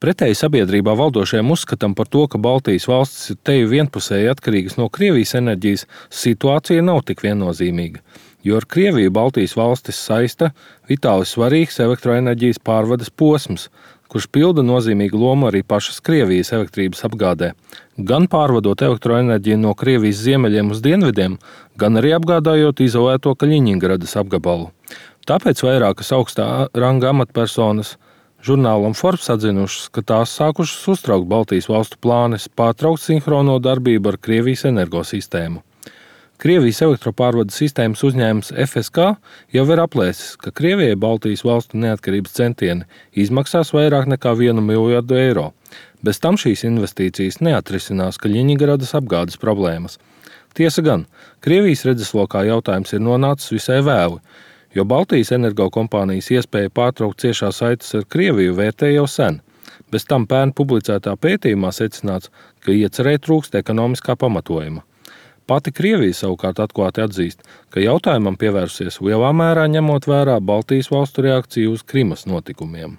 Pretēji sabiedrībā valdošajam uzskatam par to, ka Baltijas valstis ir teju vienpusēji atkarīgas no Krievijas enerģijas, situācija nav tik viennozīmīga, jo ar Krieviju Baltijas valstis saista vitāli svarīgs elektroenerģijas pārvades posms, kurš pilda nozīmīgu lomu arī pašas Krievijas elektrības apgādē, gan pārvadot elektroenerģiju no Krievijas ziemeļiem uz dienvidiem, gan arī apgādājot izolēto Kaļiņingradas apgabalu. Tāpēc vairākas augstā ranga amatpersonas žurnālam Forbes atzinušas, ka tās sākušas uztraukt Baltijas valstu plānes pārtraukt sinhrono darbību ar Krievijas energosistēmu. Krievijas elektropārvades sistēmas uzņēmums FSK jau ir aplēsis, ka Krievijai Baltijas valstu neatkarības centieni izmaksās vairāk nekā 1 miljardu eiro. Bez tam šīs investīcijas neatrisinās Kaļiņingradas apgādes problēmas. Tiesa gan, Krievijas redzeslokā jautājums ir nonācis visai vēli, jo Baltijas energokompānijas iespēja pārtraukt ciešās saites ar Krieviju vērtē jau sen. Bez tam pērn publicētā pētījumā secināts, ka iecerē trūkst ekonomiskā pamatojuma. Pati Krievija savukārt atklāti atzīst, ka jautājumam pievērsies lielā mērā ņemot vērā Baltijas valstu reakciju uz Krimas notikumiem.